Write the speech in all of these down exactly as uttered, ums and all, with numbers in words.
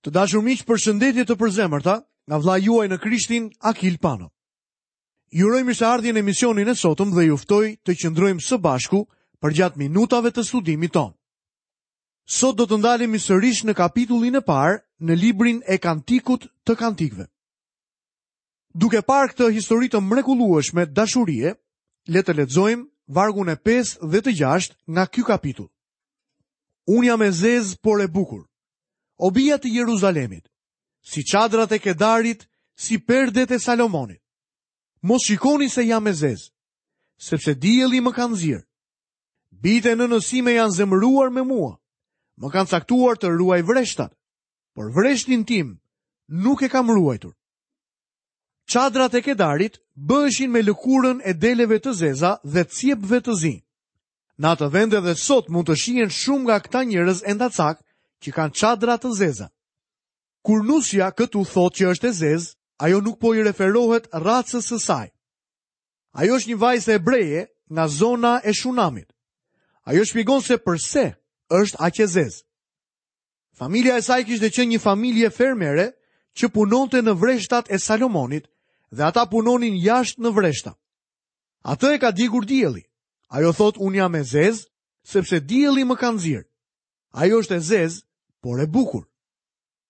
Të dashur miq, përshëndetje të përzemërta nga vëllai juaj në Krishtin, Akil Pano. Ju uroj mirëseardhjen në emisionin e sotëm dhe ju ftoj të qëndrojmë së bashku përgjatë minutave të studimit tonë. Sot do të ndalemi sërish në kapitullin e parë në librin e Kantikut të Kantikëve. Duke parë këtë histori të mrekullueshme dashurie, le të lexojmë vargun e pesë dhe të gjashtë nga ky kapitull. Unë jam e zezë, por e bukur. O bija të Jeruzalemit, si çadrat e Kedarit, si perdet e Salomonit. Mos shikoni se jam e zezë, sepse dielli më ka nxirë. Bijtë e nënës sime janë zemëruar me mua, më kanë caktuar të ruaj vreshtat, por vreshtin tim nuk e kam ruajtur. Çadrat e Kedarit bëheshin me lëkurën e deleve të zeza dhe cjepve të zinj. Në atë vend edhe sot mund të shihen shumë nga këta njerëz endacak që kanë çadra të zeza. Kur nusja këtu thotë që është e zezë, ajo nuk po i referohet racës së saj. Ajo është një vajzë hebreje nga zona e Shunamit. Ajo shpjegon se përse është aq e zezë. Familja e saj kishte qenë një familje fermere që punonte në vreshtat e Salomonit dhe ata punonin jashtë në vreshta. Atë e ka djegur dielli. Ajo thotë, unë jam e zezë, sepse dielli më ka nxirë. Ajo është e zezë, por e bukur.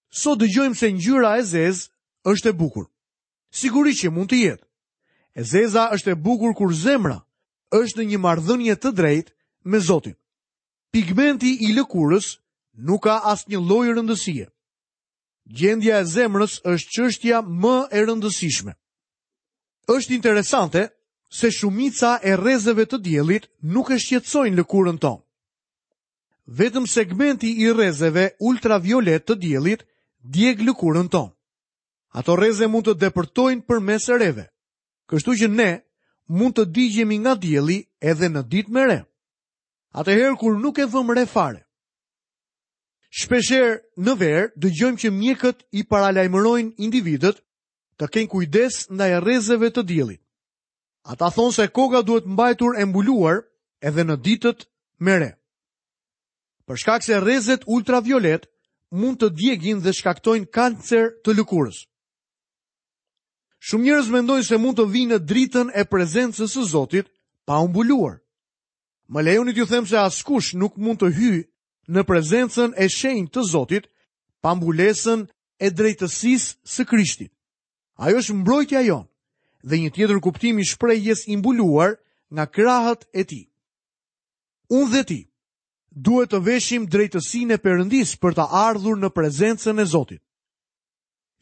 Sot dëgjojmë se ngjyra e zezë është e bukur. Sigurisht që mund të jetë. E zeza është e bukur kur zemra është në një marrëdhënie të drejtë me Zotin. Pigmenti i lëkurës nuk ka asnjë lloj rëndësie. Gjendja e zemrës është çështja më e rëndësishme. Është interesante se shumica e rrezeve të diellit nuk e shqetësojnë lëkurën tonë. Vetëm segmenti i rrezeve ultraviolet të diellit djeg lëkurën tonë. Ato rreze mund të depërtojnë përmes reve, kështu që ne mund të digjemi nga dielli edhe në ditë me re. Atëherë kur nuk e vëmë re fare. Shpeshherë në verë dëgjojmë që mjekët i paralajmërojnë individët të kenë kujdes ndaj rrezeve të diellit. Ata thonë se koka duhet mbajtur e mbuluar edhe në ditët me re. Për shkak se rrezet ultraviolet mund të djegin dhe shkaktojnë kancer të lëkurës. Shumë njerëz mendojnë se mund të vinë në dritën e prezencës së Zotit pa u mbuluar. Më lejoni t'ju them se askush nuk mund të hyjë në prezencën e shenjtë të Zotit pa mbulesën e drejtësisë së Krishtit. Ajo është mbrojtja jonë dhe një tjetër kuptim i shprehjes i mbuluar nga krahët e tij. Unë dhe ti duhet të veshim drejtësinë e Perëndisë për të ardhur në prezencën e Zotit.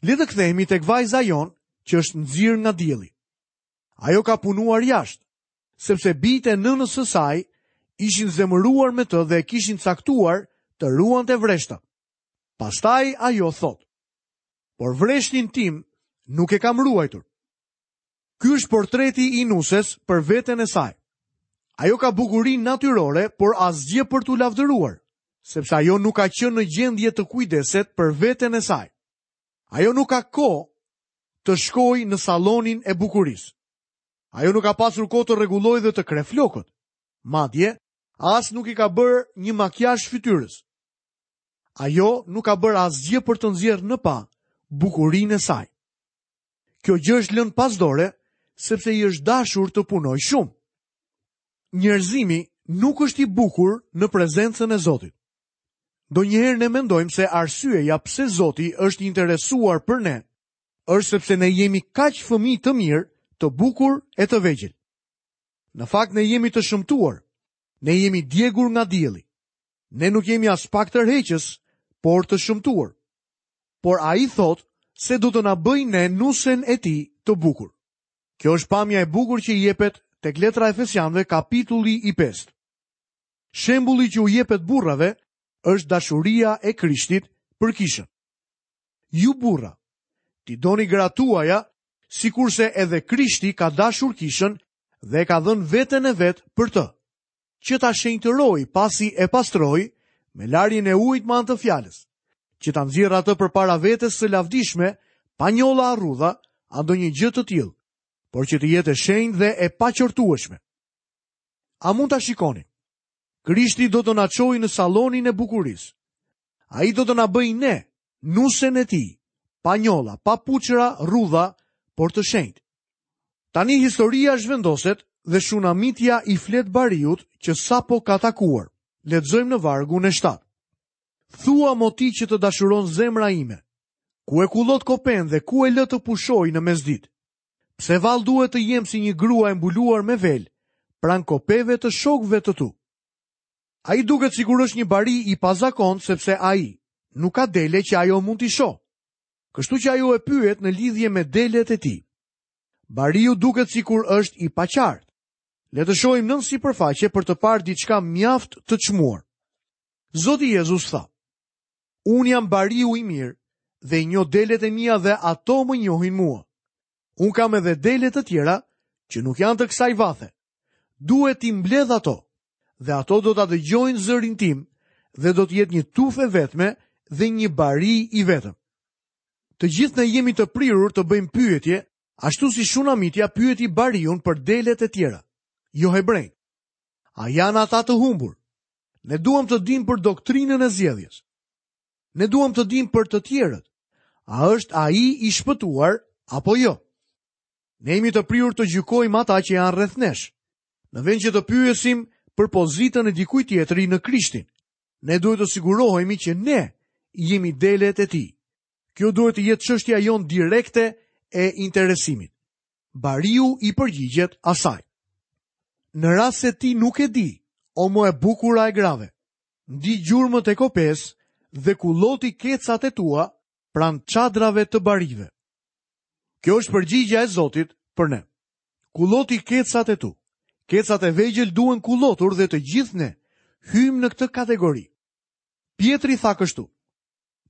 Le të kthehemi tek vajza jonë që është nxirë nga dielli. Ajo ka punuar jashtë, sepse bijtë e nënës së saj ishin zemëruar me të dhe e kishin caktuar të ruante vreshtat. Pastaj ajo thotë, por vreshtin tim nuk e kam ruajtur. Ky është portreti i nuses për veten e saj. Ajo ka bukuri natyrore, por asgjë për t'u lavdëruar, sepse ajo nuk ka qenë në gjendje të kujdeset për veten e saj. Ajo nuk ka kohë të shkojë në sallonin e bukurisë. Ajo nuk ka pasur kohë të rregullojë dhe të kreh flokët. Madje, as nuk i ka bërë një makiazh fytyrës. Ajo nuk ka bërë asgjë për të nxjerrë në pa bukurinë e saj. Kjo gjë është lënë pas dore, sepse i është dashur të punojë shumë. Njerëzimi nuk është i bukur në prezencën e Zotit. Ndonjëherë ne mendojmë se arsyeja pse Zoti është i interesuar për ne është sepse ne jemi kaq fëmijë të mirë, të bukur e të vegjël. Në fakt ne jemi të shëmtuar. Ne jemi djegur nga dielli. Ne nuk jemi as pak tërheqës, por të shëmtuar. Por ai thotë se do të na bëjë ne nusen e tij të bukur. Kjo është pamja e bukur që i jepet tek letra e Efesianëve, kapitulli i pestë. Shembulli që u jepet burrave është dashuria e Krishtit për kishën. Ju burra, ti doni gratë tuaja, sikurse edhe Krishti ka dashur kishën dhe e ka dhënë veten e vet për të, që ta shenjtëroj pasi e pastroi me larjen e ujit me anë të fjalës, që ta nxjerrë atë përpara vetes së lavdishme, pa njolla a rrudha, a ndonjë gjë të tillë, por që të jetë e shenjtë dhe e paqortueshme. A mund ta shikoni? Krishti do të na çojë në sallonin e bukurisë. Ai do të na bëjë ne Nusen e tij, pa njolla, pa puçra, rrudha, por të shenjtë. Tani historia zhvendoset dhe Shunamitja i flet bariut që sapo ka takuar. Lexojmë në vargun e shtatë. Thua mo ti që të dashuron zemra ime, ku e kullot kopen dhe ku e lë të pushoj në mesditë? Pse vallë duhet të jem si një grua e mbuluar me vel, pranë kopeve të shokëve të tu? Ai duket sikur është një bari i pazakont, sepse ai nuk ka dele që ajo mund t'i shohë. Kështu që ajo e pyet në lidhje me delet e tij. Bariu duket sikur është i paqartë. Le të shohim nën sipërfaqe për të parë diçka mjaft të çmuar. Zoti Jezus tha: Unë jam bariu i mirë dhe i njoh delet e mia dhe ato më njohin mua. Unë kam edhe dele të tjera që nuk janë të kësaj vathe. Duhet t'i mbledh ato dhe ato do ta dëgjojnë zërin tim dhe do të jetë një tufë e vetme dhe një bari i vetëm. Të gjithë ne jemi të prirur të bëjmë pyetje, ashtu si Shunamitja pyeti bariun për delet e tjera, jo hebrejt. A janë ata të humbur? Ne duam të dimë për doktrinën e zgjedhjes. Ne duam të dimë për të tjerët. A është ai i shpëtuar apo jo? Ne jemi të prirur të gjykojmë ata që janë rreth nesh. Në vend që të pyesim për pozitën e dikujt tjetri në Krishtin, ne duhet të sigurohemi që ne jemi delet e tij. Kjo duhet të jetë çështja jonë direkte e interesimit. Bariu i përgjigjet asaj. Në rast se ti nuk e di, o më e bukura e grave, ndi gjurmët e kopes dhe kulloti kecat e tua pranë çadrave të barive. Kjo është përgjigja e Zotit për ne. Kulloti kecat e tu. Kecat e vegjël duhen kullotur dhe të gjithë ne hyjmë në këtë kategori. Pjetri tha kështu: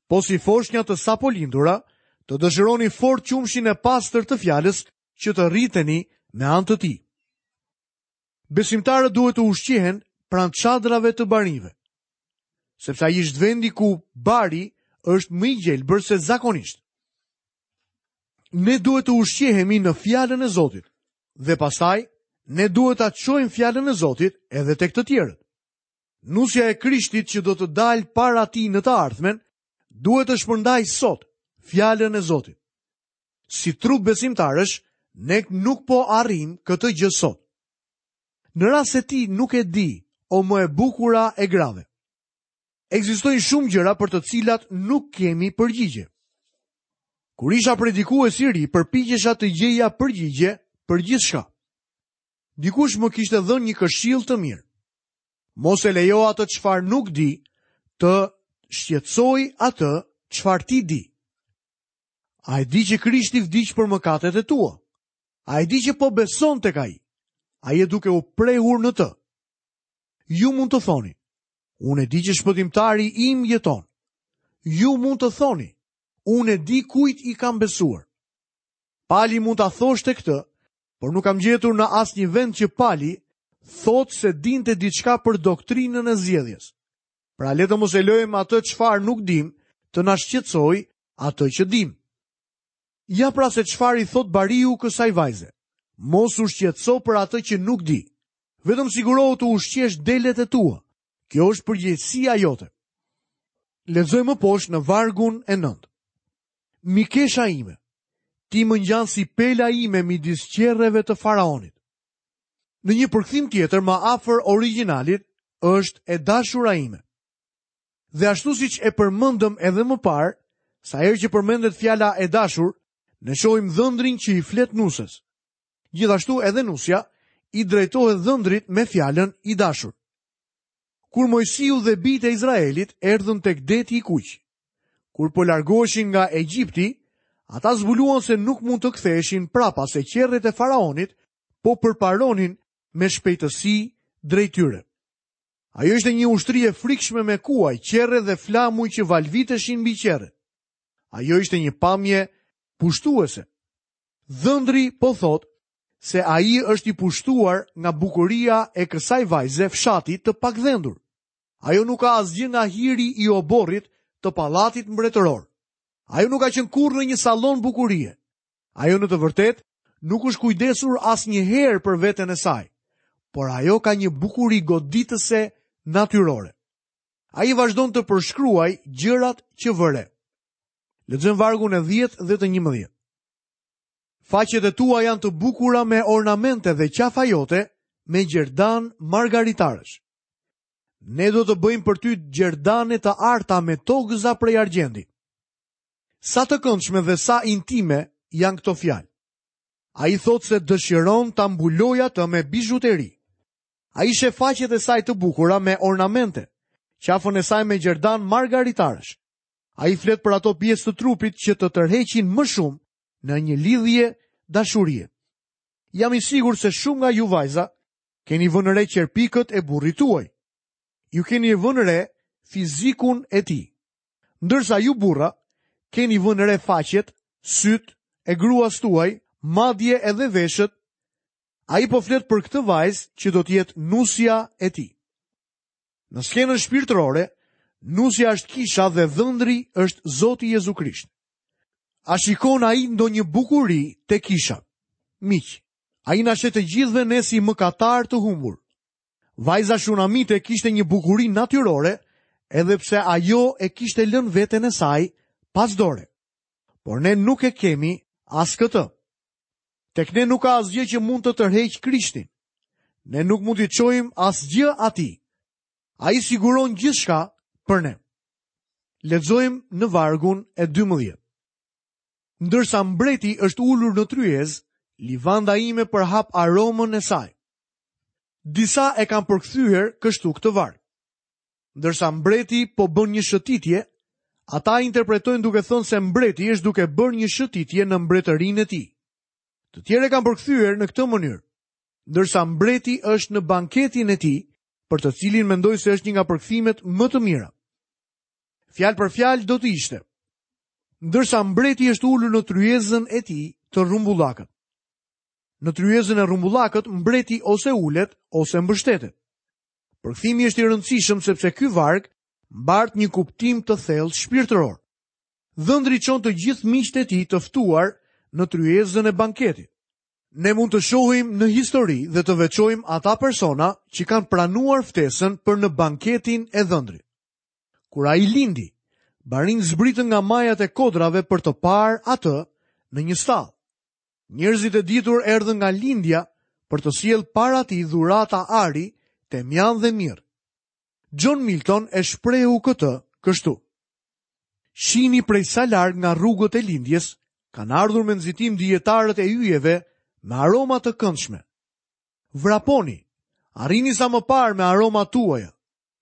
Po si foshnja të sapolindura, të dëshironi fort qumshin e pastër të fjalës që të rriteni me anë të tij. Besimtarët duhet të ushqehen pranë çadrave të barinjve, sepse ai është vendi ku bari është më i gjelbër se zakonisht. Ne duhet të ushqehemi në fjalën e Zotit dhe pastaj ne duhet ta çojmë fjalën e Zotit edhe tek të tjerët. Nusja e Krishtit që do të dalë para tij në të ardhmen, duhet të shpërndaj sot fjalën e Zotit. Si trup besimtarësh, ne nuk po arrijmë këtë gjë sot. Në rast se ti nuk e di, o më e bukura e grave, ekzistojnë shumë gjëra për të cilat nuk kemi përgjigje. Kur isha predikues i ri, përpiqesha të gjeja përgjigje për gjithçka. Dikush më kishte dhënë një këshill të mirë. Mos e lejo atë çfarë nuk di të shqetësoj atë çfarë ti di. A e di që Krishti vdiq për mëkatet e tua? A e di që po beson tek ai? A je duke u prehur në të? Ju mund të thoni, unë e di që shpëtimtari im jeton. Ju mund të thoni, unë e di kujt i kam besuar. Pali mund ta thoshte këtë, por nuk kam gjetur në asnjë vend që Pali thotë se dinte diçka për doktrinën e zgjedhjes. Pra le të mos e lëjmë atë çfarë nuk dim, të na shqetësoj atë që dim. Ja pra se çfarë i thot bariu kësaj vajze. Mos u shqetëso për atë që nuk di. Vetëm sigurohu të ushqesh delet e tua. Kjo është përgjegjësia jote. Lexojmë më poshtë në vargun e nëntë. Mikesha ime, ti më ngjan si pela ime midis qerreve të faraonit. Në një përkthim tjetër më afër origjinalit është e dashura ime. Dhe ashtu siç e përmendëm edhe më parë, sa herë që përmendet fjala e dashur, ne shohim dhëndrin që i flet nuses. Gjithashtu edhe nusja i drejtohet dhëndrit me fjalën i dashur. Kur Mojsiu dhe bijtë e Izraelit erdhën tek deti i kuq, kur po largoheshin nga Egjipti, ata zbuluan se nuk mund të ktheheshin prapa, se qerret e faraonit po përparonin me shpejtësi drejt tyre. Ajo ishte një ushtri e frikshme me kuaj, qerre dhe flamuj që valviteshin mbi qerre. Ajo ishte një pamje pushtuese. Dhëndri po thot se ai është i pushtuar nga bukuria e kësaj vajze fshati të pakdhendur. Ajo nuk ka asgjë nga hiri i oborrit të pallatit mbretëror. Ajo nuk ka qenë kurrë në një sallon bukurie. Ajo në të vërtetë nuk është kujdesur asnjëherë për veten e saj, por ajo ka një bukuri goditëse natyrore. Ai vazhdon të përshkruaj gjërat që vëre. Lexojmë vargun e dhjetë dhe të njëmbëdhjetë. Faqet e tua janë të bukura me ornamente dhe qafa jote me gjerdan margaritarësh. Ne do të bëjmë për ty gjerdane të arta me togëza prej argjendi. Sa të këndshme dhe sa intime janë këto fjalë. Ai thotë se dëshiron ta mbulojë atë me bizhuteri. Ai sheh faqet e saj të bukura me ornamente, qafën e saj me gjerdan margaritarësh. Ai flet për ato pjesë të trupit që të tërheqin më shumë në një lidhje dashurie. Jam i sigurt se shumë nga ju vajza keni vënë re qerpikët e burrit tuaj. Ju keni vënë re fizikun e tij. Ndërsa ju burra keni vënë re faqet, syt e gruas tuaj, madje edhe veshët. Ai po flet për këtë vajzë që do të jetë nusja e tij. Në skenën shpirtërore, nusja është kisha dhe dhëndri është Zoti Jezu Krisht. A shikon ai ndonjë bukuri te kisha? Miq, ai na sheh të gjithëve ne si mëkatar të humbur. Vajza shunamite kishte një bukuri natyrore, edhe pse ajo e kishte lënë veten e saj pas dore. Por ne nuk e kemi as këtë. Tek ne nuk ka asgjë që mund të tërheqë Krishtin. Ne nuk mund t'i çojmë asgjë atij. Ai siguron gjithçka për ne. Lexojmë në vargun e dymbëdhjetë. Ndërsa mbreti është ulur në tryezë, livanda ime përhap aromën e saj. Disa e kanë përkthyer kështu këtë varg. Ndërsa mbreti po bën një shëtitje, ata interpretojnë duke thënë se mbreti është duke bërë një shëtitje në mbretërinë e tij. Të tjerë e kanë përkthyer në këtë mënyrë. Ndërsa mbreti është në banketin e tij, për të cilin mendoj se është një nga përkthimet më të mira. Fjalë për fjalë do të ishte: ndërsa mbreti është ulur në tryezën e tij të rrumbullakët. Në tryezën e rrumbullakët, mbreti ose ulet ose mbështetet. Përkthimi është i rëndësishëm sepse ky varg mbart një kuptim të thellë shpirtëror. Dhëndri çon të gjithë miqtë e tij të ftuar në tryezën e banketit. Ne mund të shohim në histori dhe të veçojmë ata persona që kanë pranuar ftesën për në banketin e dhëndrit. Kur ai lindi, barinj zbritën nga majat e kodrave për të parë atë në një stallë. Njerëzit e ditur erdhën nga lindja për të sjellë para tij dhurata ari, temjan dhe mirë. John Milton e shprehu këtë kështu: Shini prej sa larg nga rrugët e lindjes kanë ardhur me nxitim dijetarët e yjeve me aroma të këndshme. Vraponi, arrini sa më parë me aromat tuaja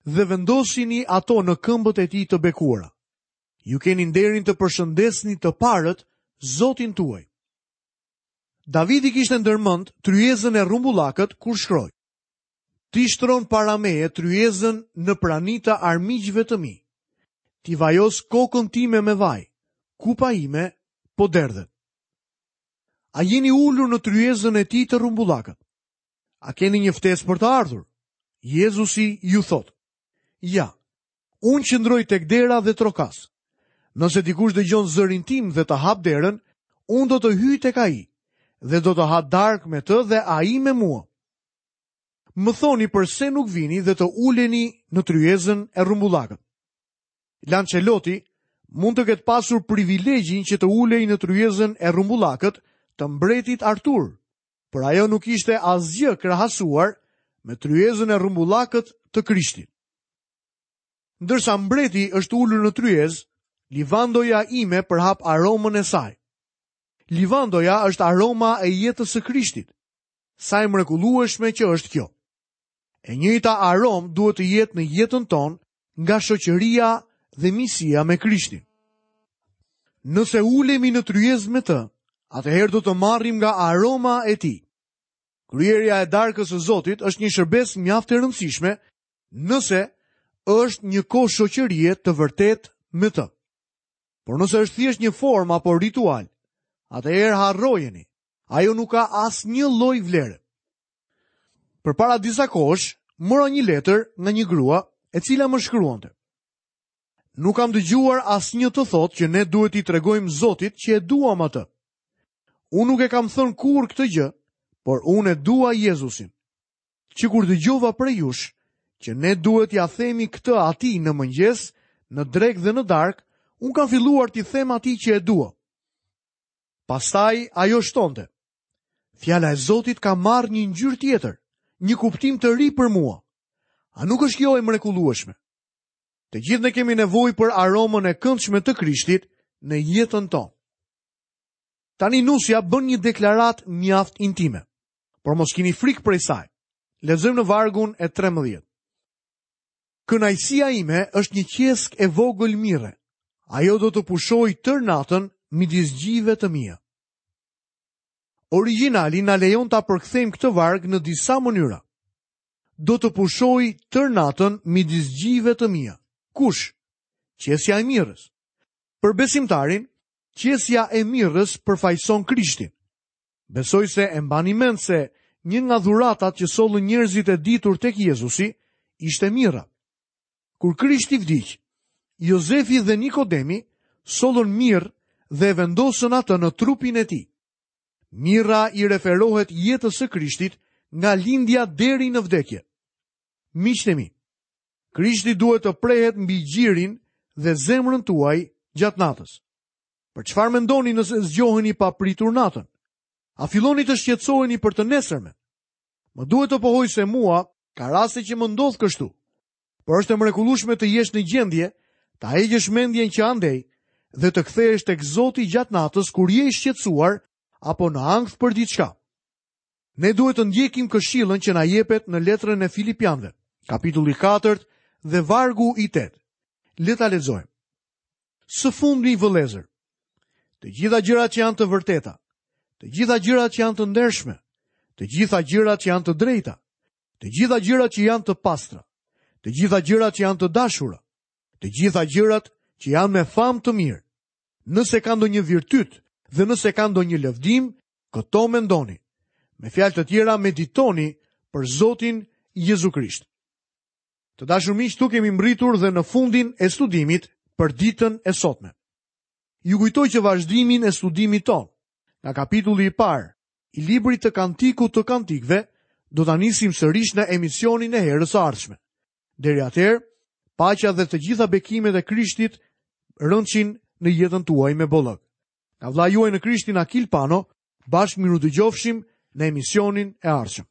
dhe vendosini ato në këmbët e tij të bekuara. Ju keni nderin të përshëndesni të parët Zotin tuaj. Davidi kishte ndërmend tryezën e rrumbullakët kur shkroi: Ti shtron para meje tryezën në prani të armiqve të mi. Ti vajos kokën time me vaj, kupa ime po derdhet. A jeni ulur në tryezën e tij të rrumbullakët? A keni një ftesë për të ardhur? Jezusi ju thotë: Ja, unë qëndroj tek dera dhe trokas. Nëse dikush dëgjon zërin tim dhe të hap derën, unë do të hyj tek ai dhe do të ha darkë me të dhe ai me mua. Më thoni përse nuk vini dhe të uleni në tryezën e rrumbullakët. Lanceloti mund të ketë pasur privilegjin që të ulej në tryezën e rrumbullakët të mbretit Artur, por ajo nuk ishte asgjë krahasuar me tryezën e rrumbullakët të Krishtit. Ndërsa mbreti është ulur në tryezë, livandoja ime përhap aromën e saj. Livandoja është aroma e jetës së Krishtit. Sa e mrekullueshme që është kjo. E njëjta aromë duhet të jetë në jetën tonë nga shoqëria dhe miqësia me Krishtin. Nëse ulemi në tryezë me të, atëherë do të marrim nga aroma e tij. Kryerja e darkës së Zotit është një shërbesë mjaft e rëndësishme nëse është një kohë shoqërie të vërtetë me të. Por nëse është thjesht një formë apo ritual, atëherë harrojeni, ajo nuk ka asnjë lloj vlere. Përpara disa kohësh, mora një letër nga një grua e cila më shkruante: Nuk kam dëgjuar asnjë të thotë që ne duhet t'i tregojmë Zotit që e duam atë. Unë nuk e kam thënë kurrë këtë gjë, por unë e dua Jezusin. Që kur dëgjova prej jush që ne duhet t'ia themi këtë atij në mëngjes, në drekë dhe në darkë, Unë kam filluar t'i them atij që e dua. Pastaj ajo shtonte: Fjala e Zotit ka marrë një ngjyrë tjetër, një kuptim të ri për mua. A nuk është kjo e mrekullueshme? Të gjithë ne kemi nevojë për aromën e këndshme të Krishtit në jetën tonë. Tani nusja bën një deklaratë mjaft intime, por mos kini frikë prej saj. Lexojmë në vargun e trembëdhjetë. Kënaqësia ime është një qeskë e vogël mirre. Ajo do të pushojë tërë natën midis gjive të mia. Origjinali na lejon ta përkthejmë këtë varg në disa mënyra. Do të pushoj tërë natën midis gjive të mia. Kush? Qesja e mirës. Për besimtarin, qesja e mirës përfaqëson Krishtin. Besoj se e mbani mend se një nga dhuratat që sollën njerëzit e ditur tek Jezusi ishte mira. Kur Krishti vdiq, Jozefi dhe Nikodemi sollën mirë dhe e vendosën atë në trupin e tij. Mira i referohet jetës së Krishtit nga lindja deri në vdekje. Miqtë e mi, Krishti duhet të prehet mbi gjirin dhe zemrën tuaj gjatë natës. Për çfarë mendoni nëse zgjoheni papritur natën? A filloni të shqetësoheni për të nesërmen? Më duhet të pohoj se mua ka raste që më ndodh kështu. Por është e mrekullueshme të jesh në gjendje ta heqësh mendjen që andej dhe të kthehesh tek Zoti gjatë natës kur je i shqetësuar apo në ankth për diçka. Ne duhet të ndjekim këshillën që na jepet në letrën e Filipianëve, kapitulli katër dhe vargu i tetë. Le ta lexojmë. Së fundi, vëllezër, të gjitha gjërat që janë të vërteta, të gjitha gjërat që janë të ndershme, të gjitha gjërat që janë të drejta, të gjitha gjërat që janë të pastra, të gjitha gjërat që janë të dashura, të gjitha gjërat që janë me famë të mirë, nëse ka ndonjë virtyt dhe nëse ka ndonjë lëvdim, këto mendoni. Me fjalë të tjera, meditoni për Zotin Jezu Krisht. Të dashur miq, këtu kemi mbritur dhe në fundin e studimit për ditën e sotme. Ju kujtoj që vazhdimin e studimit ton, nga kapitulli i parë i librit të Kantikut të Kantikëve, do ta nisim sërish në emisionin e herës së ardhshme. Deri atëherë, paqja dhe të gjitha bekimet e Krishtit rëndshin në jetën tuaj me bollëk. Nga vëllai juaj në Krishtin Akil Pano, bashkë mirudëgjofshim në emisionin e ardhshëm.